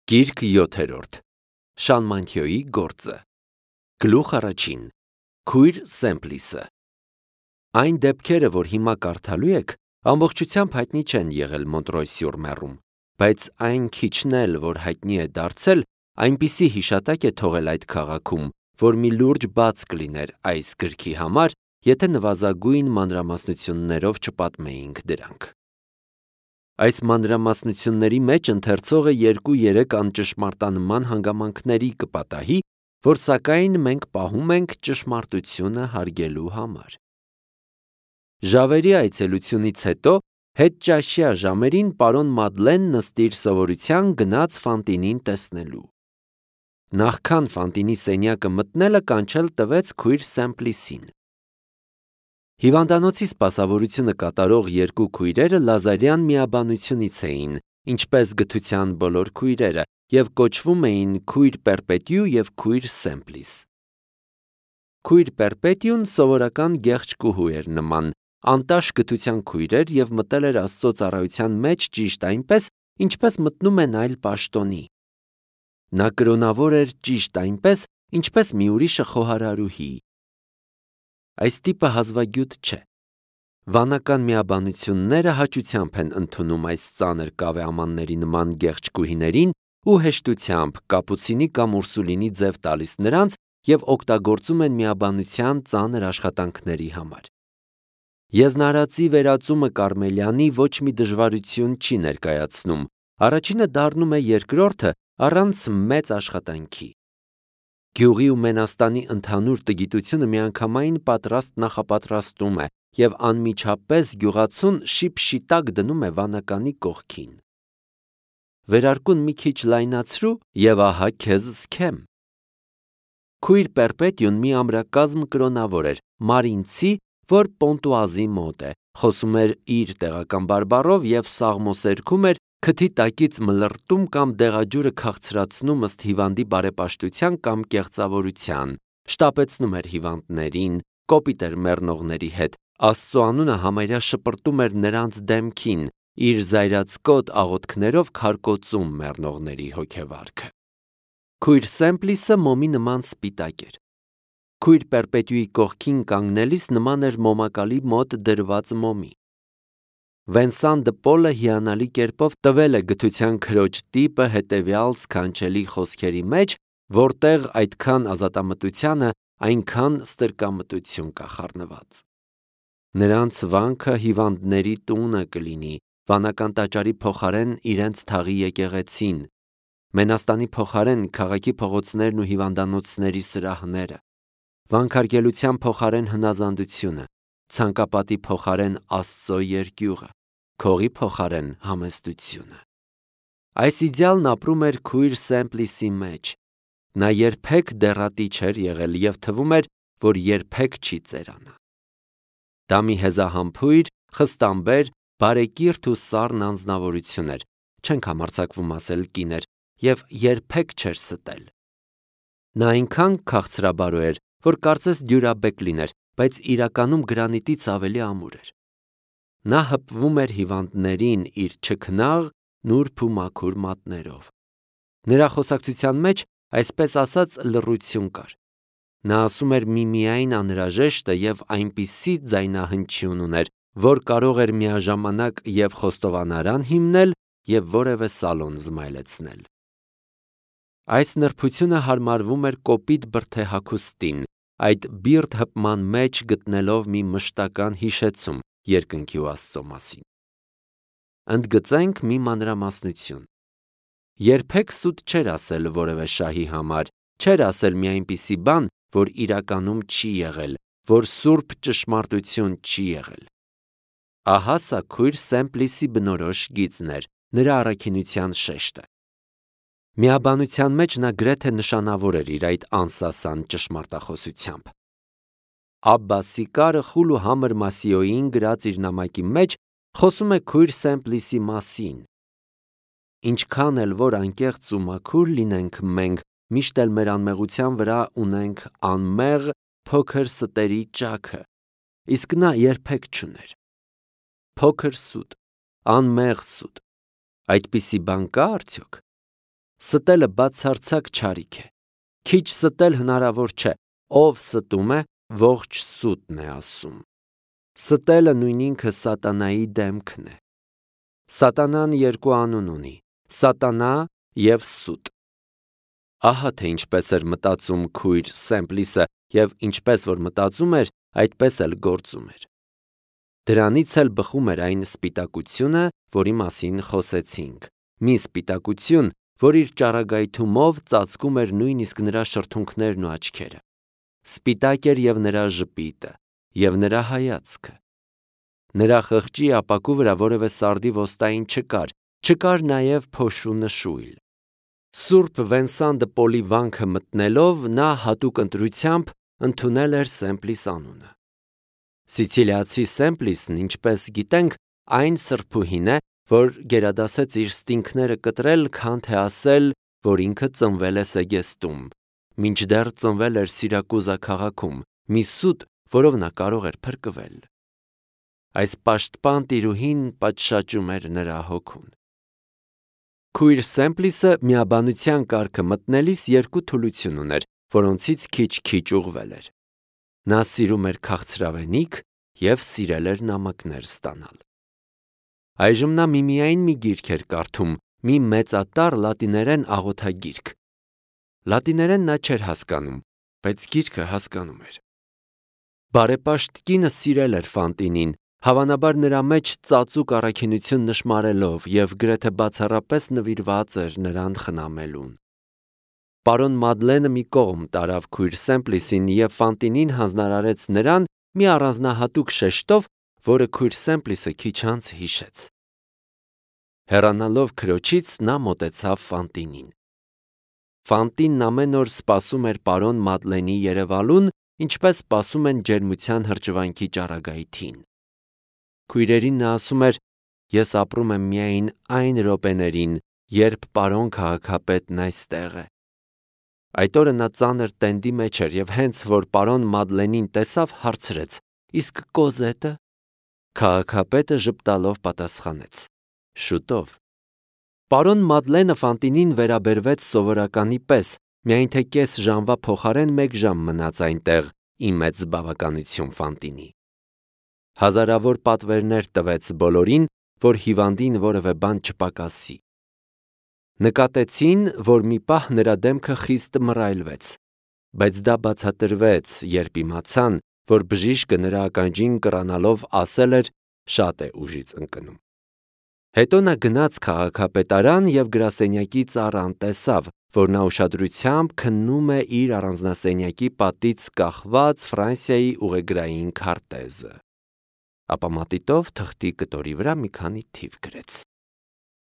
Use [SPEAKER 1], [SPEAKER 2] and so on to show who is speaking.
[SPEAKER 1] Գիրք 7-րդ Շանմանթիոյի գործը Գլուխ առաջին Քույր Սեմպլիսը Այն դեպքերը, որ հիմա կարդալու եք, ամբողջությամբ հայտնի չեն եղել Մոնտրոյ-սյուր-Մեռում, բայց այն քիչն էլ, որ հայտնի է դարձել, այնպիսի հիշատակ է թողել այդ քաղաքում, որ մի լուրջ բաց կլիներ այս գրքի համար, եթե նվազագույն մանրամասնություններով չպատմեինք դրանք։ Այս մանրամասնությունների մեջ ընթերցողը 2-3 անճշմարտանման հանգամանքների կպատահի, որ սակայն մենք պահում ենք ճշմարտությունը հարգելու համար։ Ժավերի այցելությունից հետո հետճաշյա ժամերին պարոն Մադլեն նստիր սովորության գնաց Ֆանտինին տեսնելու։ Նախքան Ֆանտինի սենյակը մտնելը կանչել տվեց քույր Սեմպլիսին։ Հիվանդանոցի սպասավորությունը կատարող երկու քույրերը Լազարյան միաբանությունից էին, ինչպես գթության բոլոր քույրերը, և կոչվում էին քույր Պերպետյու և քույր Սեմպլիս։ Քույր Պերպետյուն սովորական գեղեցկուհու էր նման, անտաշ գթության քույր էր և մտել էր Աստծո ծառայության մեջ ճիշտ այնպես, ինչպես մտնում են այլ պաշտոնի։ Նա կրոնավոր էր ճիշտ այնպես, ինչպես մի ուրիշը խոհարարուհի։ Այս տիպը հազվագյուտ չէ։ Վանական միաբանությունները հաճությամբ են ընդունում այս ծանր կավեամանների նման գեղեցկուհիներին ու հեշտությամբ կապուցինի կամ ուրսուլինի ձև տալիս նրանց և օգտագործում են միաբանության ծանր աշխատանքների համար։ Եզնարածի վերածումը Կարմելյանի ոչ մի դժվարություն չի ներկայացնում, առաջինը դառնում է երկրորդը առանց մեծ աշխատանքի։ Գյուղի ու Մենաստանի ընդհանուր տգիտությունը միանգամայն պատրաստ նախապատրաստում է և անմիջապես գյուղացուն շիպշիտակ դնում է վանականի կողքին։ Վերարկուն մի քիչ լայնացրու և ահա քեզ սքեմ։ Քույր Պերպետյուն մի ամրակազմ կրոնավոր էր, մարինցի, որ Պոնտուազի մոտ է, խոսում էր իր տեղական բարբառով և սաղմոսերքում էր, քթի տակից մլրտում կամ դեղաջուրը քաղցրացնում ըստ հիվանդի բարեպաշտության կամ կեղծավորության, շտապեցնում էր հիվանդներին, կոպիտ էր մեռնողների հետ, Աստծո անունը համարյա շպրտում էր նրանց դեմքին, իր զայրացկոտ աղոթքներով քարկոծում մեռնողների հոգեվարքը։ Քույր Սեմպլիսը մոմի նման սպիտակ էր։ Քույր Պերպետյուի կողքին կանգնելիս նման էր մոմակալի մոտ դրված մոմի։ Վենսան դը Պոլը հիանալի կերպով տվել է գթության քրոջ տիպը հետևյալ սքանչելի խոսքերի մեջ, որտեղ այդքան ազատամտությանը, այնքան ստրկամտություն կա խառնված։ Նրանց վանքը հիվանդների տունը կլինի, վանական տաճարի փոխարեն իրենց թաղի եկեղեցին, Մենաստանի փոխարեն քաղաքի փողոցներն ու հիվանդանոցների սրահները, վանքարգելության փոխարեն հնազանդությունը, ցանկապատի փոխարեն Աստծո երկյուղը, քողի փոխարեն համեստությունը։ Այս իդեալն ապրում էր քույր Սեմպլիսի մեջ։ Նա երբեք դեռատի չէր եղել և թվում էր, որ երբեք չի ծերանա։ Դա մի հեզահամբույր, խստամբեր, բարեկիրթ ու սառն անձնավորություն էր, չենք համարձակվում ասել կին էր, և երբեք չէր ստել։ Նա այնքան քաղցրաբարո էր, որ կարծես դյուրաբեկ լիներ, բայց իրականում գրանիտից ավելի ամուր էր։ Նա հպվում էր հիվանդներին իր չքնաղ, նուրբ ու մաքուր մատներով։ Նրա խոսակցության մեջ, այսպես ասած, լռություն կար։ Նա ասում էր միմիայն անհրաժեշտը և այնպիսի ձայնահնչյուն ուներ, որ կարող էր միաժամանակ և խոստովանարան հիմնել և որևէ սալոն զմայլեցնել։ Այս նրբությունը հարմարվում էր կոպիտ բրդեհագուստին, այդ բիրտ հպման մեջ գտնելով մի մշտական հիշեցում երկնքի ու Աստծո մասին։ Ընդգծենք մի մանրամասնություն։ Երբեք սուտ չէր ասել որևէ շահի համար, չէր ասել մի այնպիսի բան, որ իրականում չի եղել, որ սուրբ ճշմարտություն չի եղել։ Ահա սա քույր Սեմպլիսի բնորոշ գիծն էր, նրա առաքինության շեշտը։ Միաբանության մեջ նա գրեթե նշանավոր էր իր այդ անսասան ճշմարտախոսությամբ։ Աբբա Սիկարը խուլ ու համր Մասիոյին գրած իր նամակի մեջ խոսում է քույր Սեմպլիսի մասին։ Ինչքան էլ որ անկեղծ ու մաքուր լինենք մենք, միշտ էլ մեր անմեղության վրա ունենք անմեղ փոքր ստերի ճաքը, իսկ նա երբեք չուներ։ Փոքր սուտ, անմեղ սուտ, այդպիսի բան կա՞ արդյոք։ Ստելը բացարձակ չարիք է։ Քիչ ստել հնարավոր չէ, ով ստում է, ողջ սուտն է ասում։ Ստելը նույն ինքը սատանայի դեմքն է։ Սատանան երկու անուն ունի՝ սատանա և սուտ։ Ահա թե ինչպես էր մտածում քույր Սեմպլիսը և ինչպես որ մտածում էր, այդպես էլ գործում էր։ Դրանից էլ բխում էր այն սպիտակությունը, որի մասին խոսեցինք, մի սպիտակություն, որ իր ճառագայթումով ծածկում էր նույնիսկ նրա շրթունքներն ու աչքերը։ Սպիտակ էր և նրա ժպիտը, և նրա հայացքը։ Նրա խղճի ապակու վրա որևէ սարդի ոստային չկար նաև փոշու նշույլ։ Սուրբ Վենսան դը Պոլի վանքը մտնելով նա հատուկ ընտրությամբ ընդունել էր Սեմպլիս անունը։ Սիցիլիացի Սեմպլիսն, ինչպես գիտենք, այն սրբուհին է, որ գերադասեց իր ստինքները կտրել, քան թե ասել, որ ինքը ծնվել է Սեգեստում, մինչդեռ ծնվել էր Սիրակուզա քաղաքում, մի սուտ, որով նա կարող էր փրկվել։ Այս պաշտպան տիրուհին պատշաճում էր նրա հոգուն։ Քույր Սեմպլիսը միաբանության կարգը մտնելիս երկու թուլություն ուներ, որոնցից քիչ-քիչ ուղղվել էր։ Նա սիրում էր քաղցրավենիք և սիրել էր նամակներ ստանալ։ Այժմ նա միմիայն մի գիրք էր կարդում, մի մեծատառ լատիներեն աղոթագիրք։ Լատիներեն նա չէր հասկանում, բայց գիրքը հասկանում էր։ Բարեպաշտ կինը սիրել էր Ֆանտինին, հավանաբար նրա մեջ ծածուկ առաքինություն նշմարելով և գրեթե բացառապես նվիրված էր նրան խնամելուն։ Պարոն Մադլենը մի կողմ տարավ քույր Սեմպլիսին և Ֆանտինին հանձնարարեց նրան մի առանձնահատուկ շեշտով, որը քույր Սեմպլիսը քիչ անց հիշեց։ Հեռանալով քրոջից նա մոտեցավ Ֆանտինին։ Ֆանտինն ամեն օր սպասում էր պարոն Մադլենի երևալուն, ինչպես սպասում են ջերմության հրճվանքի ճառագայթին։ Քույրերին նա ասում էր. «Ես ապրում եմ միայն այն րոպեներին, երբ պարոն քաղաքապետն այստեղ է»։ Այդ օրը նա ծանր տենդի մեջ էր և հենց որ պարոն Մադլենին տեսավ, հարցրեց. «Իսկ Կոզետը»։ Քաղաքապետը ժպտալով պատասխանեց. «Շուտով»։ Պարոն Մադլենը Ֆանտինին վերաբերվեց սովորականի պես, միայն թե կես ժամվա փոխարեն մեկ ժամ մնաց այնտեղ, ի մեծ բավականություն Ֆանտինի։ Հազարավոր պատվերներ տվեց բոլորին, որ հիվանդին որևէ բան չպակասի։ Նկատեցին, որ մի պահ նրա դեմքը խիստ մռայլվեց, բայց դա բացատրվեց, երբ իմացան, որ բժիշկը նրա ականջին կռանալով ասել էր. «Շատ է ուժից ընկնում»։ Հետո նա գնաց քաղաքապետարան և գրասենյակի ծառան տեսավ, որ նա ուշադրությամբ քննում է իր առանձնասենյակի պատից կախված Ֆրանսիայի ուղեգրային քարտեզը։ Ապա մատիտով թղթի կտորի վրա մի քանի թիվ գրեց։